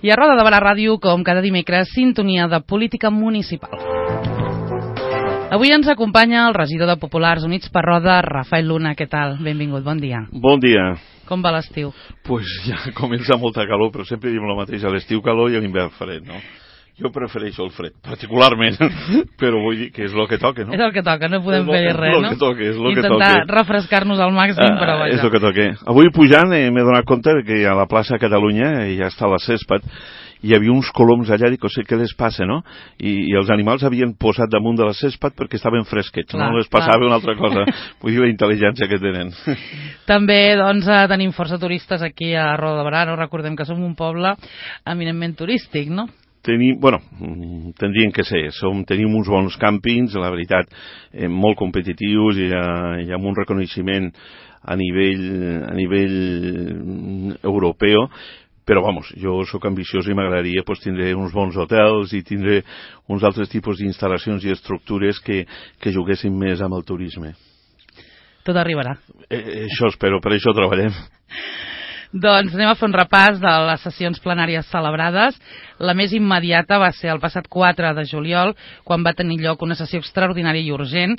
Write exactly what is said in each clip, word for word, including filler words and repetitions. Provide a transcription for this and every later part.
I a Roda de Barà Ràdio, com cada dimecres, sintonia de política municipal. Avui ens acompanya el regidor de Populars Units per Roda, Rafael Luna. Què tal? Benvingut, bon dia. Bon dia. Com va l'estiu? Pues ja comença molta calor, però sempre diem el mateix, a l'estiu calor i a l'hivern fred, no? Jo prefereixo el fred, particularment, però vull dir que és el que toca, no? És el que toca, no podem fer res, no? És el que toca, és el que toca. Intentar refrescar-nos al màxim, però vaja. És el que toca. Avui pujant eh, m'he donat compte que a la plaça Catalunya ja està la césped, hi havia uns coloms allà, dic, o sigui, què les passa, no? I, i els animals havien posat damunt de la césped perquè estaven fresquets, clar, no les passava clar. Una altra cosa. Vull dir la intel·ligència que tenen. També, doncs, tenim força turistes aquí a Roda de Barà, no? Recordem que som un poble eminentment turístic, no? Tenim, bueno, tindrien que ser, som, tenim uns bons càmpings, la veritat, eh, molt competitius i, eh, i amb un reconeixement a nivell, a nivell europeu, però, vamos, jo sóc ambiciós i m'agradaria pues, tindre uns bons hotels i tindre uns altres tipus d'instal·lacions i estructures que, que juguessin més amb el turisme. Tot arribarà. Eh, això espero, per això treballem. Doncs anem a fer un repàs de les sessions plenàries celebrades. La més immediata va ser el passat quatre de juliol, quan va tenir lloc una sessió extraordinària i urgent,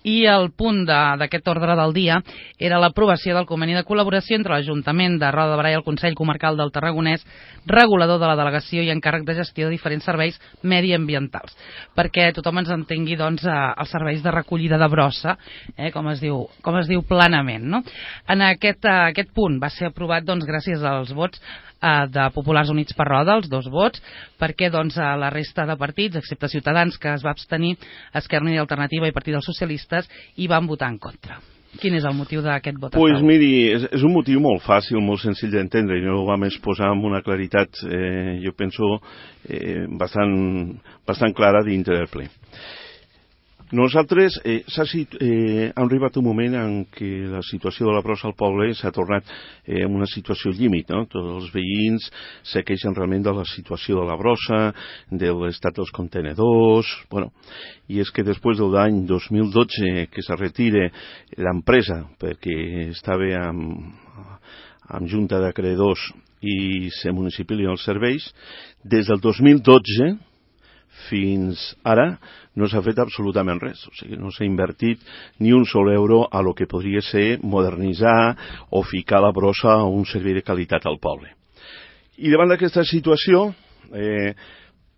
i el punt d'aquest ordre del dia era l'aprovació del conveni de col·laboració entre l'Ajuntament de Roda de Barà i el Consell Comarcal del Tarragonès, regulador de la delegació i encàrrec de gestió de diferents serveis mediambientals, perquè tothom ens entengui doncs, els serveis de recollida de brossa, eh, com es diu, com es diu planament. No? En aquest, aquest punt va ser aprovat doncs, gràcies als vots de Populars Units per Roda, els dos vots, perquè doncs, la resta de partits, excepte Ciutadans, que es va abstenir, Esquerra Unida i Alternativa i Partit dels Socialistes, hi van votar en contra. Quin és el motiu d'aquest vot? Pues miri, és, és un motiu molt fàcil, molt senzill d'entendre, i no ho vam exposar amb una claritat, eh, jo penso, eh, bastant, bastant clara dintre del ple. Nosaltres, eh, eh, ha arribat un moment en què la situació de la brossa al poble s'ha tornat eh, en una situació límit, no? Tots els veïns se queixen realment de la situació de la brossa, de l'estat dels contenedors, bueno, i és que després de l'any dos mil dotze que se retire l'empresa perquè estava amb, amb junta d'acreedors i se municipalien els serveis, des del dos mil dotze fins ara no s'ha fet absolutament res, o sigui, no s'ha invertit ni un sol euro a lo que podria ser modernitzar o ficar la brossa a un servei de qualitat al poble. I davant d'aquesta situació eh,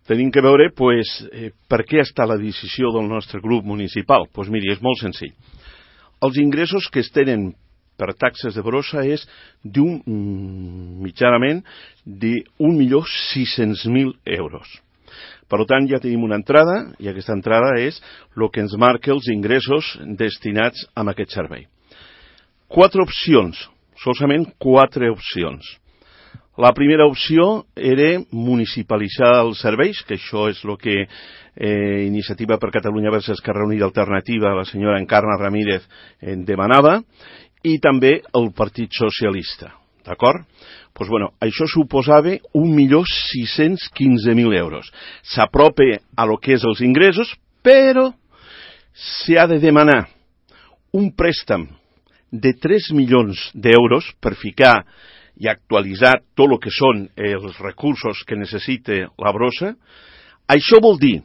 tenim que veure pues, eh, per què està la decisió del nostre grup municipal. Doncs pues miri, és molt senzill. Els ingressos que es tenen per taxes de brossa és d'un mitjanament d'un milió sis-cents mil euros. Per tant, ja tenim una entrada, i aquesta entrada és el que ens marca els ingressos destinats a aquest servei. Quatre opcions, solament quatre opcions. La primera opció era municipalitzar els serveis, que això és el que eh, Iniciativa per Catalunya versus Esquerra Unida Alternativa, la senyora Encarna Ramírez, eh, demanava, i també el Partit Socialista. D'acord? Doncs, bueno, això suposava un milió sis-cents quinze mil euros. S'apropa a lo que és els ingressos, però s'ha de demanar un préstec de tres milions d'euros per ficar i actualitzar tot el que són els recursos que necessita la brossa. Això vol dir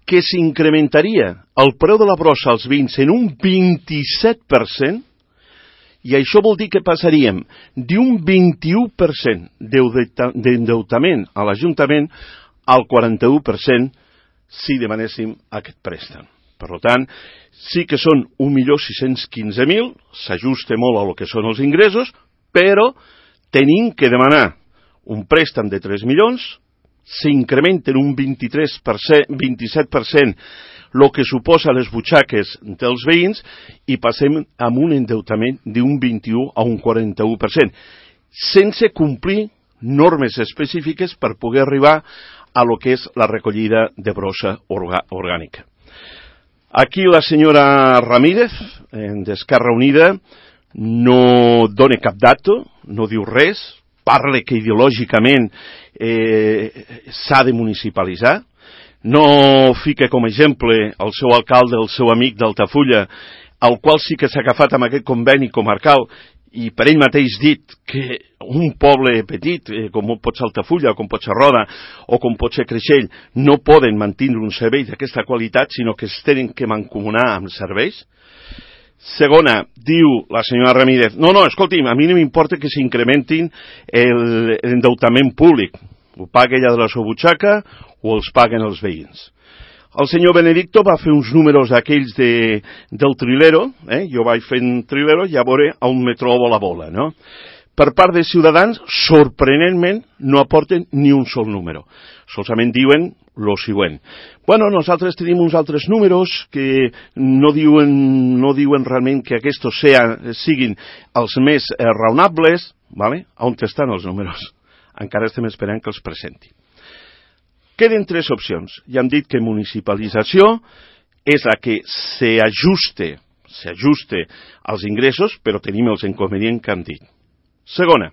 que s'incrementaria el preu de la brossa als veïns en un vint-i-set per cent, i això vol dir que passaríem d'un vint-i-u per cent d'endeutament a l'Ajuntament al quaranta-u per cent si demanéssim aquest préstec. Per tant, sí que són un milió sis-cents quinze mil, s'ajusta molt a lo que són els ingressos, però tenim que demanar un préstec de tres milions, s'incrementen un vint-i-tres per cent, vint-i-set per cent el que suposa les butxaques dels veïns i passem amb un endeutament d'un vint-i-u a un quaranta-u per cent, sense complir normes específiques per poder arribar a lo que és la recollida de brossa orgànica. Aquí la senyora Ramírez, d'Esquerra Unida, no dona cap dato, no diu res, parla que ideològicament eh, s'ha de municipalitzar, no fica com a exemple el seu alcalde, el seu amic d'Altafulla, el qual sí que s'ha agafat amb aquest conveni comarcal i per ell mateix dit que un poble petit, eh, com pot ser Altafulla, com pot ser Roda, o com pot ser Creixell, no poden mantenir un servei d'aquesta qualitat, sinó que es tenen que mancomunar amb serveis. Segona, diu la senyora Ramírez, no, no, escolti'm, a mi no m'importa que s'incrementin l'endeutament públic, ho paga ella de la seva butxaca o els paguen els veïns. El senyor Benedicto va fer uns números aquells de, del trilero, eh? Jo vaig fent trilero i a veure on me trobo la bola, no? Per part de Ciutadans, sorprenentment, no aporten ni un sol número. Solament diuen lo següent. Bueno, nosaltres tenim uns altres números que no diuen, no diuen realment que aquests sean, siguin els més eh, raonables, ¿vale? On estan els números? Encara estem esperant que els presenti. Queden tres opcions. Ja hem dit que municipalització és la que s'ajuste, s'ajuste als ingressos, però tenim els inconvenients que hem dit. Segona,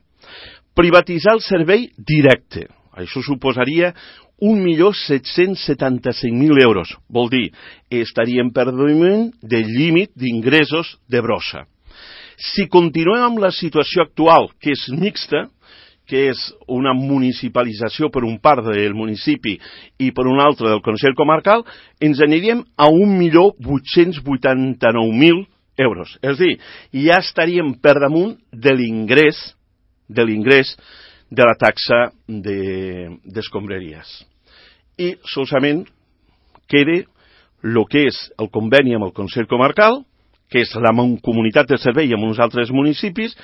privatitzar el servei directe. Això suposaria un milió set-cents setanta-cinc mil euros. Vol dir, estaríem per damunt del límit d'ingressos de brossa. Si continuem amb la situació actual, que és mixta, que és una municipalització per un part del municipi i per un altre del Consell Comarcal, ens aniríem a un milió vuit-cents vuitanta-nou mil euros. És a dir, ja estaríem per damunt de l'ingrés de l'ingrés de la taxa d'escombraries. I solament queda el que és el conveni amb el Consell Comarcal, que és la comunitat de servei amb uns altres municipis,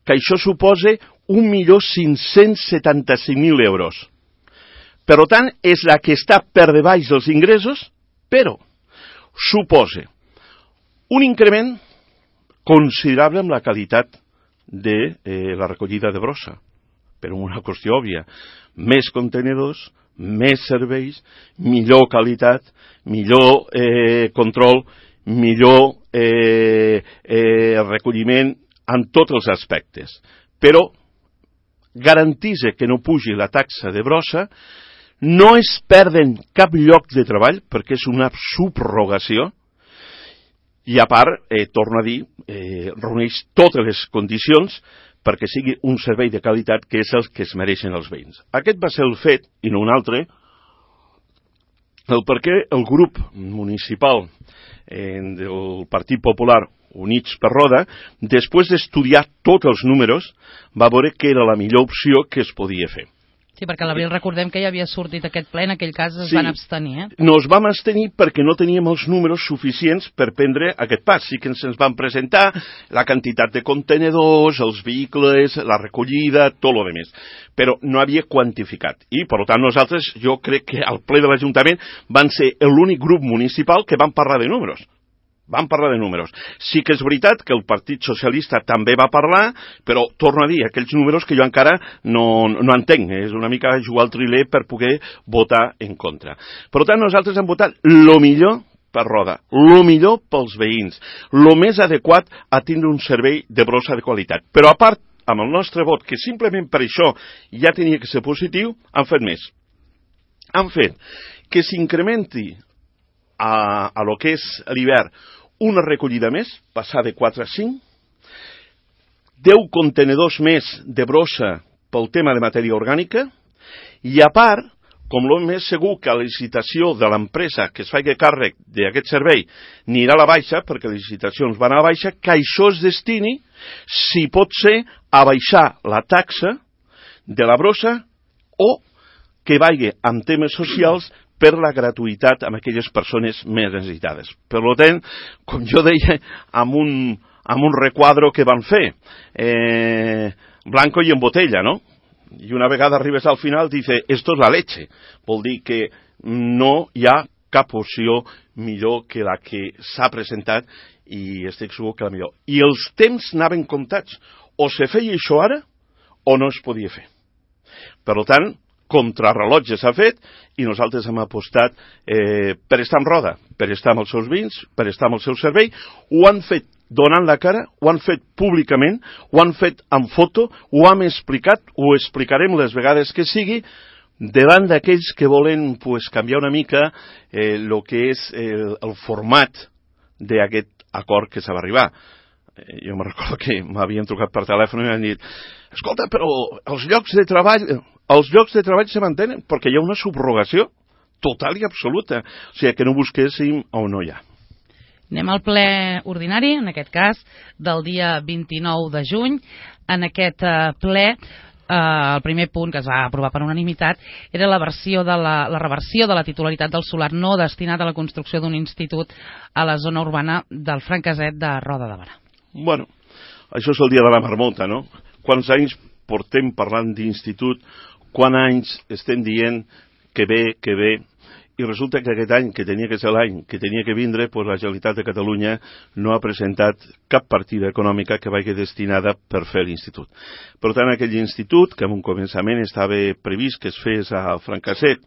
que això suposa un milió cinc-cents setanta-cinc mil euros. Per tant, és la que està per debaix dels ingressos, però suposa un increment considerable amb la qualitat de eh, la recollida de brossa, per una qüestió òbvia. Més contenedors, més serveis, millor qualitat, millor eh, control, millor eh, eh, recolliment en tots els aspectes. Però garanteix que no pugi la taxa de brossa, no es perden cap lloc de treball, perquè és una subrogació, i a part, eh, torno a dir, eh, reuneix totes les condicions perquè sigui un servei de qualitat que és el que es mereixen els veïns. Aquest va ser el fet, i no un altre, el perquè el grup municipal eh, del Partit Popular Units per Roda, després d'estudiar tots els números, va veure que era la millor opció que es podia fer. Sí, perquè a l'abril recordem que ja havia sortit aquest ple, en aquell cas es sí, van abstenir. Eh? Nos vam abstenir perquè no teníem els números suficients per prendre aquest pas. Sí que ens van presentar la quantitat de contenedors, els vehicles, la recollida, tot el demés, però no havia quantificat. I, per tant, nosaltres, jo crec que al ple de l'Ajuntament van ser l'únic grup municipal que van parlar de números. Van parlar de números. Sí que és veritat que el Partit Socialista també va parlar, però torno a dir, aquells números que jo encara no, no entenc. És una mica jugar al triler per poder votar en contra. Per tant, nosaltres hem votat el millor per Roda, el millor pels veïns, el més adequat a tindre un servei de brossa de qualitat. Però a part, amb el nostre vot, que simplement per això ja tenia que ser positiu, han fet més. Han fet que s'incrementi a, a lo que és l'hivern una recollida més, passar de quatre a cinc, deu contenedors més de brossa pel tema de matèria orgànica, i a part, com el més segur que la licitació de l'empresa que es faci càrrec d'aquest servei anirà a la baixa, perquè les licitacions van a la baixa, que això es destini, si pot ser, a baixar la taxa de la brossa o que vagi amb temes socials per la gratuïtat amb aquelles persones més necessitades. Per tant, com jo deia, amb un, amb un requadro que van fer, eh, blanco i en botella, no? I una vegada arribes al final, dice, esto es la leche. Vol dir que no hi ha cap opció millor que la que s'ha presentat i estic segur que la millor. I els temps anaven comptats. O se feia això ara o no es podia fer. Per tant, contrarrellotge s'ha fet i nosaltres hem apostat eh, per estar en Roda, per estar amb els seus vins, per estar amb el seu servei. Ho han fet donant la cara, ho han fet públicament, ho han fet amb foto, ho hem explicat, ho explicarem les vegades que sigui, davant d'aquells que volen pues, canviar una mica el eh, que és el, el format d'aquest acord que s'ha d'arribar. jo me recordo que m'havien trucat per telèfon i m'han dit, escolta, però els llocs de treball, els llocs de treball se mantenen perquè hi ha una subrogació total i absoluta, o sigui que no busquéssim on no hi ha. Anem al ple ordinari, en aquest cas, del dia vint-i-nou de juny. En aquest ple, eh, el primer punt que es va aprovar per unanimitat era la, versió de la, la reversió de la titularitat del solar no destinat a la construcció d'un institut a la zona urbana del Franqueset de Roda de Berà. Bueno, això és el dia de la marmota, no? Quants anys portem parlant d'institut, quants anys estem dient que bé, que bé, i resulta que aquest any, que tenia que ser l'any, que tenia que vindre, doncs la Generalitat de Catalunya no ha presentat cap partida econòmica que vagi destinada per fer l'institut. Per tant, aquell institut, que en un començament estava previst que es fes a Franqueset,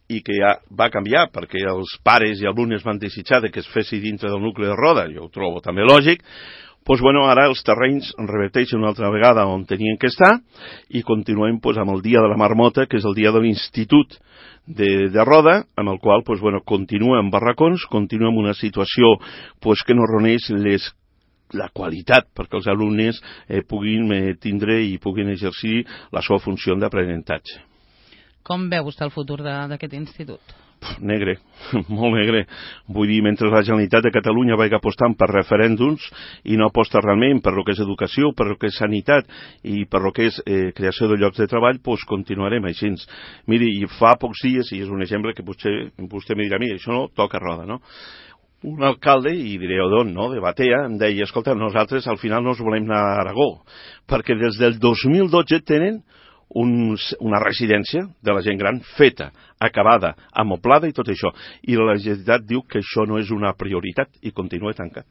i que ja va canviar perquè els pares i alumnes van desitjar que es fessi dintre del nucli de Roda, jo ho trobo també lògic, doncs bueno, ara els terrenys reverteixen una altra vegada on tenien que estar i continuem doncs, amb el dia de la marmota, que és el dia de l'Institut de, de Roda, amb el qual doncs, bueno, continua en barracons, continua en una situació doncs, que no reuneix les la qualitat perquè els alumnes eh, puguin eh, tindre i puguin exercir la seva funció d'aprenentatge. Com veu vostè el futur d'aquest institut? Negre, molt negre. Vull dir, mentre la Generalitat de Catalunya vagi apostant per referèndums i no aposta realment per lo que és educació, per lo que és sanitat i per lo que és eh, creació de llocs de treball, doncs continuarem així. Miri, fa pocs dies, i és un exemple que potser vostè me dirà, mira, això no toca Roda, no? Un alcalde, i diré d'on, no?, de Batea, em deia, escolta, nosaltres al final no ens volem anar a Aragó, perquè des del dos mil dotze tenen Un, una residència de la gent gran feta, acabada, amoblada i tot això. I la Generalitat diu que això no és una prioritat i continua tancat.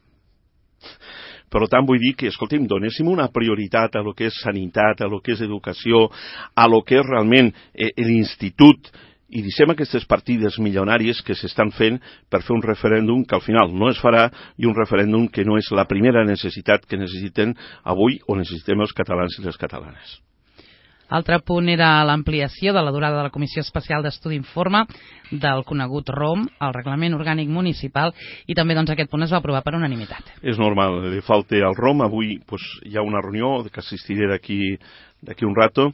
Per tant, vull dir que, escolti'm, donéssim una prioritat a lo que és sanitat, a lo que és educació, a lo que és realment eh, l'institut, i deixem aquestes partides milionàries que s'estan fent per fer un referèndum que al final no es farà i un referèndum que no és la primera necessitat que necessiten avui o necessitem els catalans i les catalanes. Altre punt era l'ampliació de la durada de la Comissió Especial d'Estudi Informe del conegut R O M, el Reglament Orgànic Municipal, i també doncs, aquest punt es va aprovar per unanimitat. És normal, li falta el R O M. Avui pues, hi ha una reunió que assistiré d'aquí d'aquí un rato,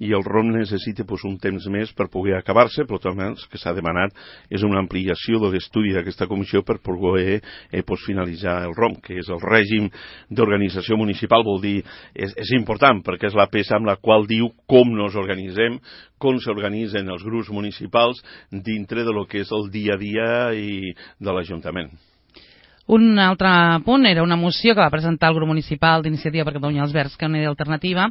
i el R O M necessita pues, un temps més per poder acabar-se, però també el que s'ha demanat és una ampliació de l'estudi d'aquesta comissió per poder eh, pues, finalitzar el R O M, que és el règim d'organització municipal, vol dir, és, és important, perquè és la peça amb la qual diu com nos organitzem, com s'organitzen els grups municipals dintre de lo que és el dia a dia i de l'Ajuntament. Un altre punt era una moció que va presentar el grup municipal d'Iniciativa per Catalunya els Verds, que és una idea alternativa,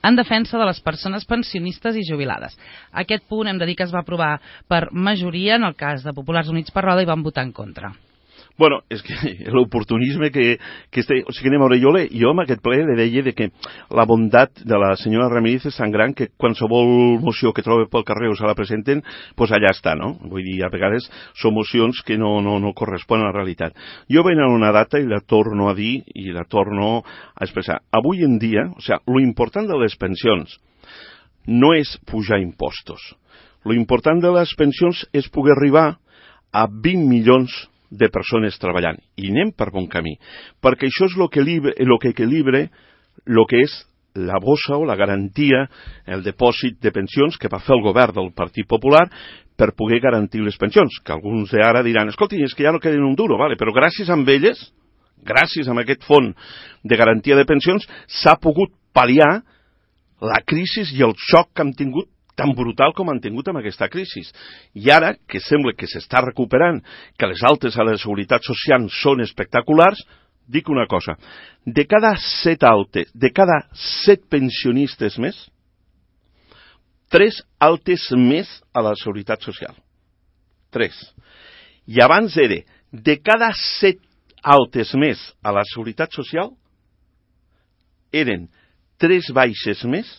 en defensa de les persones pensionistes i jubilades. Aquest punt hem de dir que es va aprovar per majoria, en el cas de Populars Units per Roda, i van votar en contra. Bueno, és que l'oportunisme que, que este, o sigui, anem a veure, jo, le, jo amb aquest ple le deia de que la bondat de la senyora Ramírez és tan gran que qualsevol moció que trobe pel carrer o se la presenten, doncs allà està, no? Vull dir, a vegades són mocions que no, no, no corresponen a la realitat. Jo vaig a una data i la torno a dir i la torno a expressar. Avui en dia, o sigui, lo important de les pensions no és pujar impostos. Lo important de les pensions és poder arribar a vint milions de persones treballant, i anem per bon camí, perquè això és el que, lo que equilibra el que és la bossa o la garantia, el depòsit de pensions que va fer el govern del Partit Popular per poder garantir les pensions, que alguns d'ara diran, escolti, és que ja no queden un duro, vale, però gràcies a elles, gràcies a aquest fons de garantia de pensions, s'ha pogut pal·liar la crisi i el xoc que hem tingut tan brutal com han tingut amb aquesta crisi. I ara, que sembla que s'està recuperant, que les altes a la Seguretat Social són espectaculars, dic una cosa, de cada set altes, de cada set pensionistes més, tres altes més a la Seguretat Social. Tres. I abans era, de cada set altes més a la Seguretat Social, eren tres baixes més,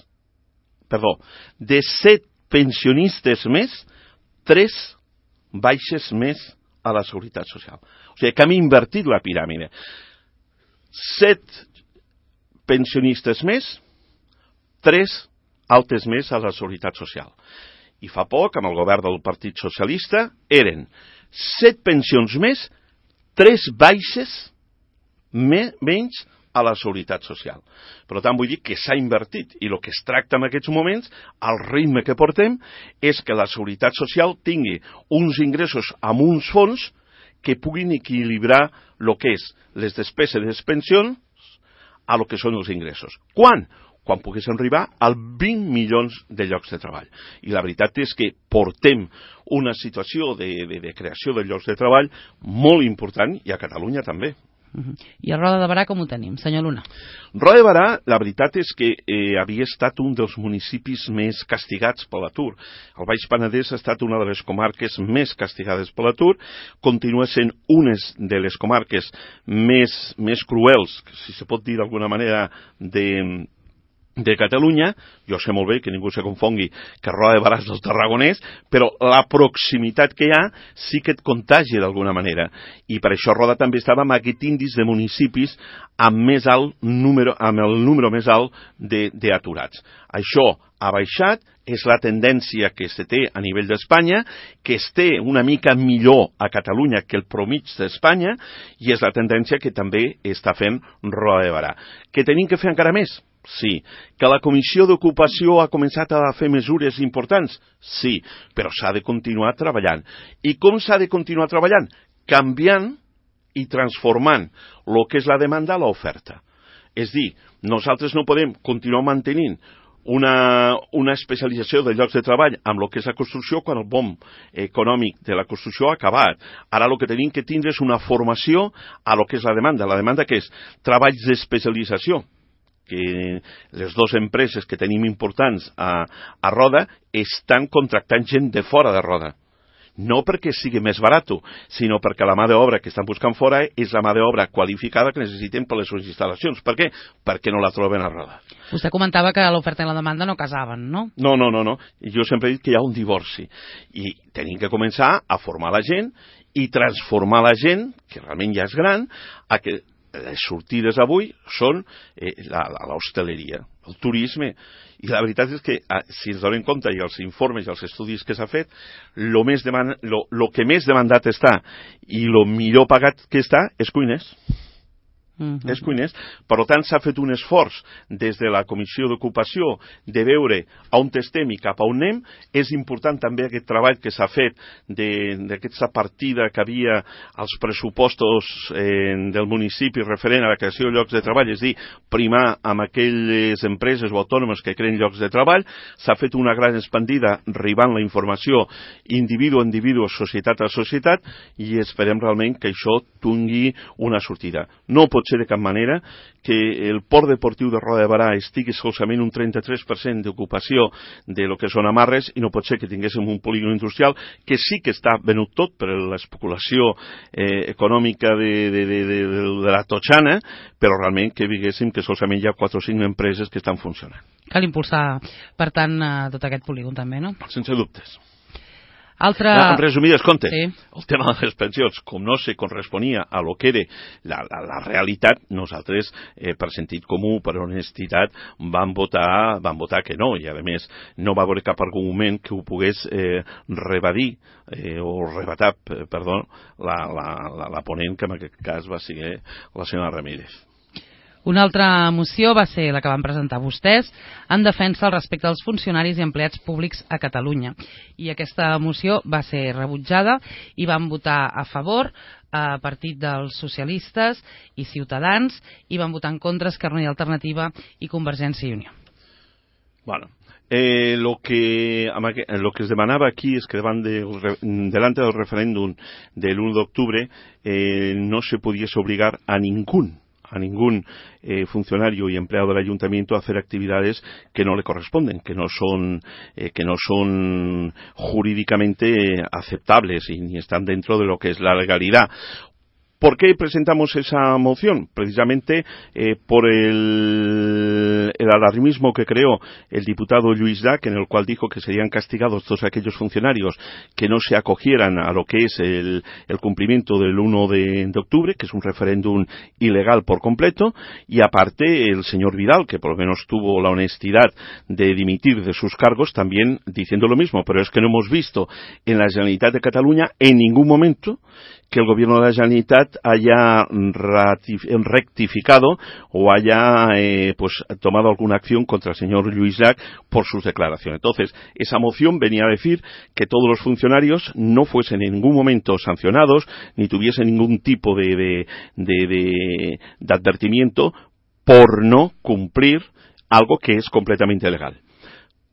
perdó, de set pensionistes més, tres baixes més a la Seguretat Social. O sigui que hem invertit la piràmide. Set pensionistes més, tres altes més a la Seguretat Social. I fa poc, amb el govern del Partit Socialista, eren set pensions més, tres baixes me, menys a la seguretat social. Per tant, vull dir que s'ha invertit i el que es tracta en aquests moments, al ritme que portem, és que la seguretat social tingui uns ingressos amb uns fons que puguin equilibrar el que és les despeses de les pensions a lo que són els ingressos. Quan? Quan poguéssim arribar als vint milions de llocs de treball. I la veritat és que portem una situació de, de, de creació de llocs de treball molt important, i a Catalunya també. Uh-huh. I a Roda de Berà com ho tenim, senyor Luna? Roda de Berà, la veritat és que eh, havia estat un dels municipis més castigats per l'atur. El Baix Penedès ha estat una de les comarques més castigades per l'atur, continua sent una de les comarques més, més cruels, si se pot dir d'alguna manera, de... de Catalunya. Jo sé molt bé que ningú se confongui que Roda de Berà és del Tarragonès, però la proximitat que hi ha sí que et contagia d'alguna manera, i per això Roda també estava amb aquest índice de municipis amb, més alt número, amb el número més alt d'aturats. Això ha baixat, és la tendència que se té a nivell d'Espanya, que es té una mica millor a Catalunya que el promig d'Espanya, i és la tendència que també està fent Roda de Berà. Que tenim que fer encara més? Sí. Que la Comissió d'Ocupació ha començat a fer mesures importants? Sí, però s'ha de continuar treballant. I com s'ha de continuar treballant? Canviant i transformant el que és la demanda a l'oferta. És dir, nosaltres no podem continuar mantenint una, una especialització de llocs de treball amb el que és la construcció quan el boom econòmic de la construcció ha acabat. Ara el que tenim que tindre és una formació a lo que és la demanda. La demanda que és treballs d'especialització, que les dues empreses que tenim importants a, a Roda estan contractant gent de fora de Roda. No perquè sigui més barat, sinó perquè la mà d'obra que estan buscant fora és la mà d'obra qualificada que necessiten per les seves instal·lacions. Per què? Perquè no la troben a Roda. Vostè comentava que l'oferta i la demanda no casaven, no? No, no, no, no. Jo sempre he dit que hi ha un divorci. I tenim que començar a formar la gent i transformar la gent, que realment ja és gran, a que les sortides avui són eh, l'hostaleria, el turisme. I la veritat és que, si ens donem compte, i els informes i els estudis que s'ha fet, el que més demandat està i el millor pagat que està és cuiners. Uh -huh. És cuiners. Per tant, s'ha fet un esforç des de la Comissió d'Ocupació de veure on estem i cap a on anem. És important també aquest treball que s'ha fet d'aquesta partida que havia als pressupostos eh, del municipi referent a la creació de llocs de treball, és dir, primar amb aquelles empreses o autònomes que creen llocs de treball. S'ha fet una gran expandida arribant la informació individu a individu, societat a societat, i esperem realment que això tingui una sortida. No pot ser de cap manera que el port deportiu de Roda de Berà estigui solament un trenta-tres per cent d'ocupació de lo que són amarres, i no pot ser que tinguéssim un polígon industrial que sí que està venut tot per l'especulació eh, econòmica de, de, de, de, de la totxana, però realment que diguéssim que solament hi ha quatre o cinc empreses que estan funcionant. Cal impulsar, per tant, tot aquest polígon també, no? Sense dubtes. Altre... En resumides comptes, sí. El tema de les pensions, com no se corresponia a lo que era la, la, la realitat, nosaltres, eh, per sentit comú, per honestitat, vam votar, vam votar que no, i a més no va haver cap argument que ho pogués eh, rebadir eh, o rebatar, perdó, la, la, la, la ponent, que en aquest cas va ser la senyora Ramírez. Una altra moció va ser la que van presentar vostès en defensa al respecte dels funcionaris i empleats públics a Catalunya. I aquesta moció va ser rebutjada i van votar a favor a partit dels socialistes i Ciutadans, i van votar en contra Esquerra Unida i Alternativa i Convergència i Unió. Bueno, eh, lo que lo que es demanava aquí es que davant de, delante del referéndum del uno de octubre eh, no se pudiese obligar a ningún a ningún eh, funcionario y empleado del ayuntamiento a hacer actividades que no le corresponden, que no son eh, que no son jurídicamente aceptables y ni están dentro de lo que es la legalidad. ¿Por qué presentamos esa moción? Precisamente eh, por el, el alarmismo que creó el diputado Lluís Llach, en el cual dijo que serían castigados todos aquellos funcionarios que no se acogieran a lo que es el, el cumplimiento del uno de octubre, que es un referéndum ilegal por completo, y aparte el señor Vidal, que por lo menos tuvo la honestidad de dimitir de sus cargos, también diciendo lo mismo. Pero es que no hemos visto en la Generalitat de Cataluña en ningún momento que el gobierno de la Generalitat Generalitat haya rectificado o haya eh, pues tomado alguna acción contra el señor Lluís Llach por sus declaraciones. Entonces, esa moción venía a decir que todos los funcionarios no fuesen en ningún momento sancionados ni tuviesen ningún tipo de, de, de, de, de advertimiento por no cumplir algo que es completamente legal.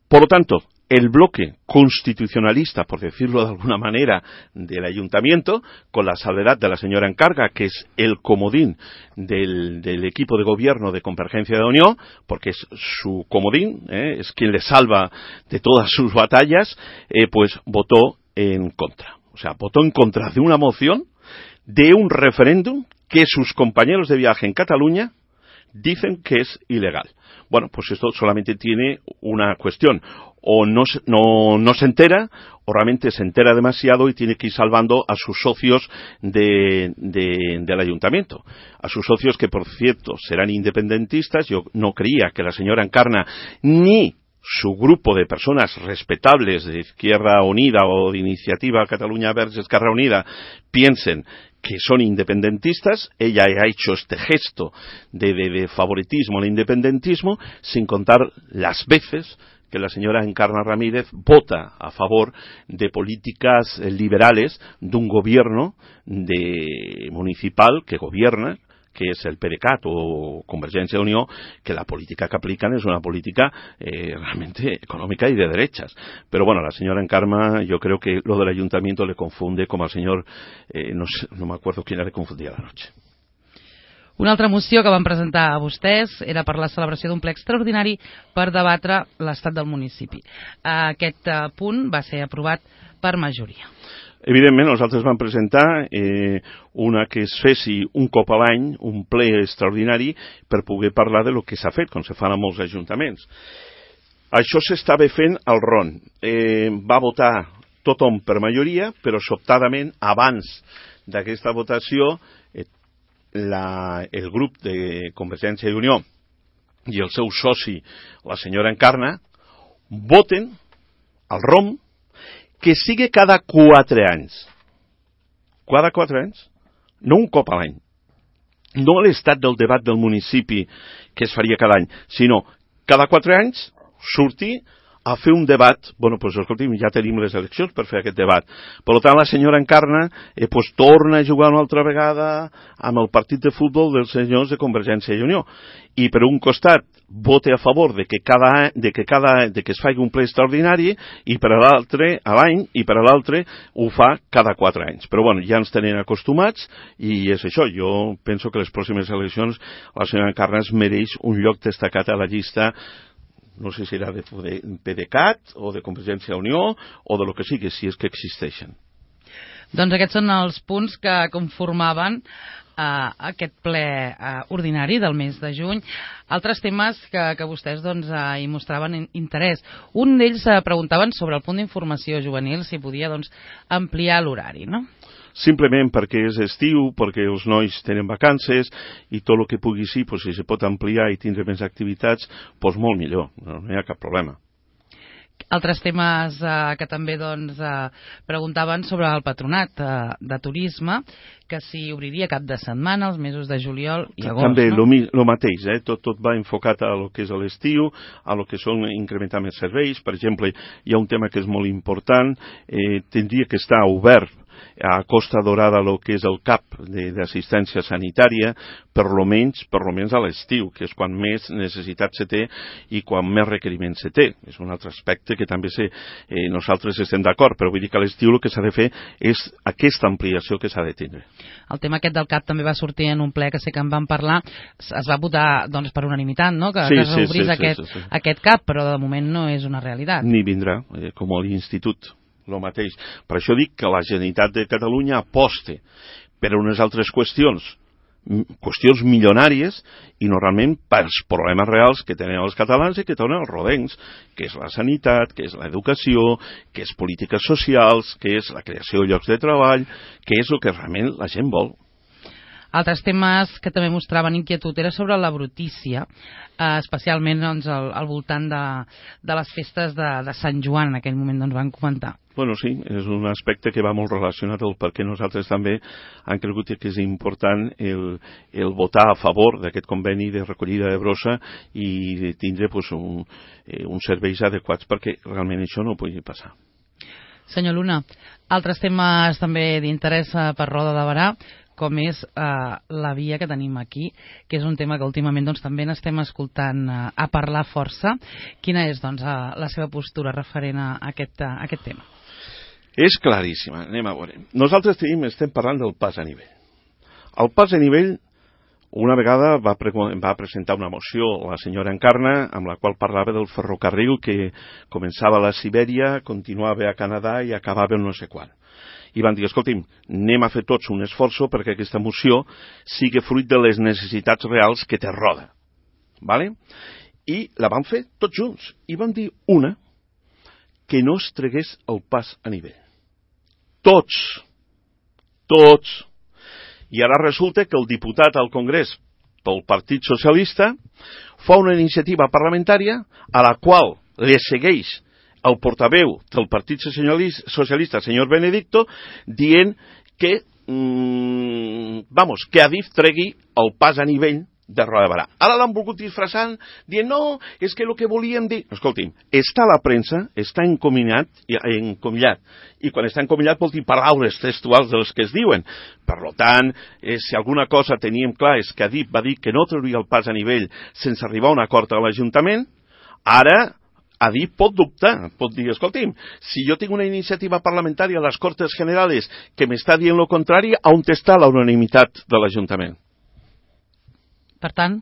Por lo tanto, el bloque constitucionalista, por decirlo de alguna manera, del ayuntamiento, con la salvedad de la señora Encarga, que es el comodín del, del equipo de gobierno de Convergencia de Unió, porque es su comodín, ¿eh? es quien le salva de todas sus batallas, eh, pues votó en contra. O sea, votó en contra de una moción de un referéndum que sus compañeros de viaje en Cataluña dicen que es ilegal. Bueno, pues esto solamente tiene una cuestión. O no, no, no se entera, o realmente se entera demasiado y tiene que ir salvando a sus socios de, de, del ayuntamiento. A sus socios que, por cierto, serán independentistas. Yo no creía que la señora Encarna ni su grupo de personas respetables de Izquierda Unida o de Iniciativa Cataluña Verds Esquerra Unida piensen que son independentistas. Ella ha hecho este gesto de, de, de favoritismo al independentismo, sin contar las veces que la señora Encarna Ramírez vota a favor de políticas liberales de un gobierno de municipal que gobierna, que es el PDeCAT o Convergencia de Unió, que la política que aplican es una política eh, realmente económica y de derechas. Pero bueno, la señora Encarna, yo creo que lo del ayuntamiento le confunde como al señor, eh, no sé, no me acuerdo quién le confundía la noche. Una altra moció que van presentar a vostès era per la celebració d'un ple extraordinari per debatre l'estat del municipi. Aquest uh, punt va ser aprovat per majoria. Evidentment, nosaltres vam presentar eh, una que es fessi un cop a l'any, un ple extraordinari, per poder parlar de lo que s'ha fet, com se fan a molts ajuntaments. Això s'estava fent al R O N. Eh, va votar tothom per majoria, però sobtadament, abans d'aquesta votació, eh, la, el grup de Convergència i Unió i el seu soci, la senyora Encarna, voten al R O M que sigui cada quatre anys. Cada quatre anys? No un cop a l'any. No l'estat del debat del municipi que es faria cada any, sinó cada quatre anys sortir a fer un debat. Bueno, doncs, escolti'm, ja tenim les eleccions per fer aquest debat. Per tant, la senyora Encarna eh, pues, torna a jugar una altra vegada amb el partit de futbol dels senyors de Convergència i Unió. I per un costat vote a favor de que cada de que cada de que es faci un ple extraordinari i per a l'altre a l'any i per a l'altre ho fa cada quatre anys. Però bueno, ja ens tenen acostumats i és això. Jo penso que les pròximes eleccions la senyora Encarna es mereix un lloc destacat a la llista. No sé si serà de PDeCAT o de Convergència i Unió o de lo que sigui, si és que existeixen. Doncs aquests són els punts que conformaven eh, aquest ple eh, ordinari del mes de juny. Altres temes que, que vostès doncs, eh, hi mostraven interès. Un d'ells eh, preguntaven sobre el punt d'informació juvenil, si podia doncs, ampliar l'horari, no? Simplement perquè és estiu, perquè els nois tenen vacances i tot el que pugui ser, pues, si se pot ampliar i tindre més activitats, pues, molt millor, no, no hi ha cap problema. Altres temes eh, que també doncs, eh, preguntaven sobre el patronat eh, de turisme, que s'hi obriria cap de setmana, els mesos de juliol i agost. També no? el mateix, eh? tot, tot va enfocat a lo que és l'estiu, a lo que són incrementar més serveis. Per exemple, hi ha un tema que és molt important, eh, tindria que estar obert a Costa Dorada el que és el C A P d'assistència sanitària, per lo menys, per lo menys a l'estiu, que és quan més necessitat se té i quan més requeriments se té. És un altre aspecte que també se, eh, nosaltres estem d'acord, però vull dir que a l'estiu el que s'ha de fer és aquesta ampliació que s'ha de tindre. El tema aquest del C A P també va sortir en un ple que sé que en vam parlar, es va votar doncs, per unanimitat, no? que, sí, que s'obrís sí, sí, aquest, sí, sí, sí. aquest C A P, però de moment no és una realitat. Ni vindrà, eh, com a l'institut. El mateix. Per això dic que la Generalitat de Catalunya aposta per unes altres qüestions, qüestions milionàries i normalment pels problemes reals que tenen els catalans i que tenen els rodencs, que és la sanitat, que és l'educació, que és polítiques socials, que és la creació de llocs de treball, que és el que realment la gent vol. Altres temes que també mostraven inquietud era sobre la brutícia, eh, especialment doncs, al, al voltant de, de les festes de, de Sant Joan, en aquell moment doncs, van comentar. Bueno, sí, és un aspecte que va molt relacionat al perquè nosaltres també han cregut que és important el, el votar a favor d'aquest conveni de recollida de brossa i de tindre pues, un, eh, uns serveis adequats perquè realment això no pugui passar. Senyor Luna, altres temes també d'interès per Roda de Berà, com és eh, la via que tenim aquí, que és un tema que últimament doncs, també n'estem escoltant eh, a parlar força. Quina és doncs, eh, la seva postura referent a aquest, a aquest tema? És claríssima, anem a veure. Nosaltres tenim, estem parlant del pas a nivell. El pas a nivell, una vegada va, pre va presentar una moció la senyora Encarna, amb la qual parlava del ferrocarril que començava a la Sibèria, continuava a Canadà i acabava en no sé quan. I van dir, escolti'm, anem a fer tots un esforç perquè aquesta moció sigui fruit de les necessitats reals que té Roda. Vale? I la van fer tots junts. I van dir una, que no es tregués el pas a nivell. Tots. Tots. I ara resulta que el diputat al Congrés pel Partit Socialista fa una iniciativa parlamentària a la qual li segueix el portaveu del Partit Socialista, senyor Benedicto, dient que, mmm, vamos, que Adif tregui el pas a nivell de Roda de Berà. Ara l'han volgut disfressant, dient, no, és que el que volíem dir... Escolti'm, està a la premsa, està encomillat, encomillat, i quan està encomillat vol dir paraules textuals dels que es diuen. Per tant, eh, si alguna cosa teníem clar és que Adif va dir que no trauria el pas a nivell sense arribar a un acord a l'Ajuntament, ara Adif pot dubtar, pot dir, escolti'm, si jo tinc una iniciativa parlamentària a les Cortes Generales que m'està dient lo contrari, on està la unanimitat de l'Ajuntament? Per tant?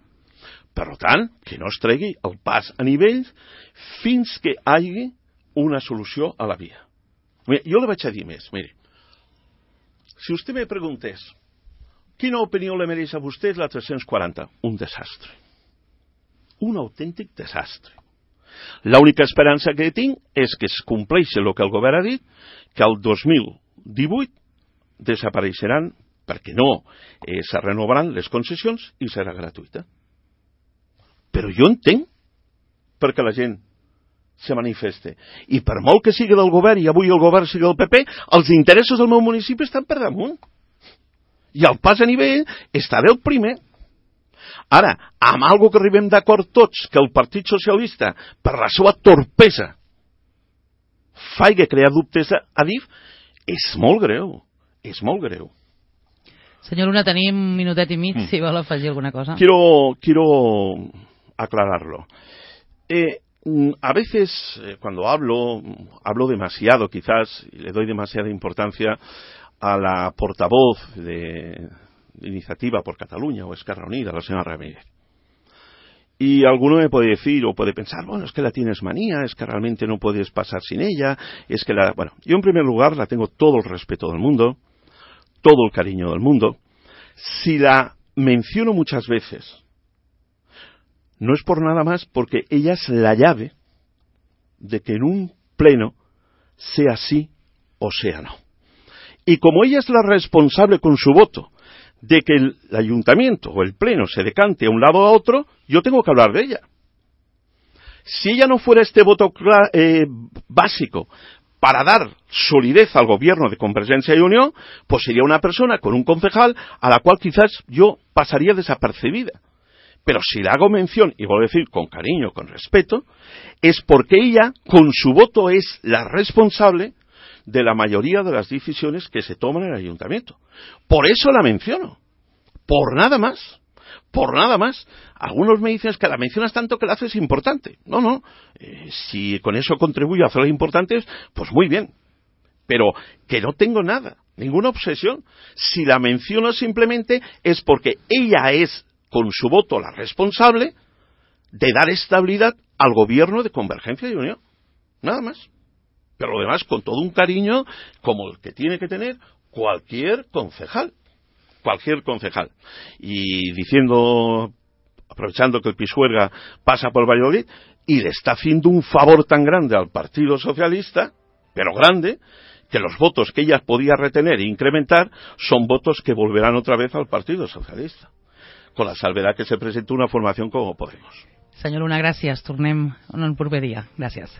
Per tant, que no es tregui el pas a nivell fins que hi hagi una solució a la via. Mira, jo li vaig a dir més, mire. Si vostè me preguntés quina opinió li mereix a vostè la tres-cents quaranta, un desastre. Un autèntic desastre. L'única esperança que tinc és que es compleixi el que el govern ha dit, que el dos mil divuit desapareixeran perquè no eh, se renovaran les concessions i serà gratuïta. Però jo entenc perquè la gent se manifeste. I per molt que sigui del govern i avui el govern sigui del P P, els interessos del meu municipi estan per damunt. I el pas a nivell està del primer. Ara, amb algo que arribem d'acord tots, que el Partit Socialista, per la seva torpesa, faig crear dubtes a Adif, és molt greu. És molt greu. Senyor Luna, tenim un minutet i mig, mm. si vol afegir alguna cosa. Quiero, quiero aclararlo. Eh, a veces, eh, cuando hablo, hablo demasiado, quizás, y le doy demasiada importancia a la portavoz de, de Iniciativa por Cataluña o Esquerra Unida, la señora Ramírez. Y alguno me puede decir o puede pensar, bueno, es que la tienes manía, es que realmente no puedes pasar sin ella, es que la... Bueno, yo en primer lugar la tengo todo el respeto del mundo, todo el cariño del mundo. Si la menciono muchas veces, no es por nada más porque ella es la llave de que en un pleno sea sí o sea no. Y como ella es la responsable con su voto de que el ayuntamiento o el pleno se decante a un lado o a otro, yo tengo que hablar de ella. Si ella no fuera este voto eh, básico para dar solidez al gobierno de Convergencia y Unión, pues sería una persona con un concejal a la cual quizás yo pasaría desapercibida. Pero si le hago mención, y voy a decir con cariño, con respeto, es porque ella, con su voto, es la responsable de la mayoría de las decisiones que se toman en el ayuntamiento. Por eso la menciono. Por nada más. Por nada más. Algunos me dicen que la mencionas tanto que la haces importante. No, no. Eh, si con eso contribuyo a hacerla importante, pues muy bien. Pero que no tengo nada, ninguna obsesión. Si la menciono simplemente es porque ella es, con su voto, la responsable de dar estabilidad al gobierno de Convergencia y Unión. Nada más. Pero lo demás, con todo un cariño, como el que tiene que tener cualquier concejal. Cualquier concejal. Y diciendo, aprovechando que el Pisuerga pasa por Valladolid, y le está haciendo un favor tan grande al Partido Socialista, pero grande, que los votos que ella podía retener e incrementar son votos que volverán otra vez al Partido Socialista, con la salvedad que se presenta una formación como Podemos. Senyor Luna, gràcies. Tornem en un proper dia. Gràcies.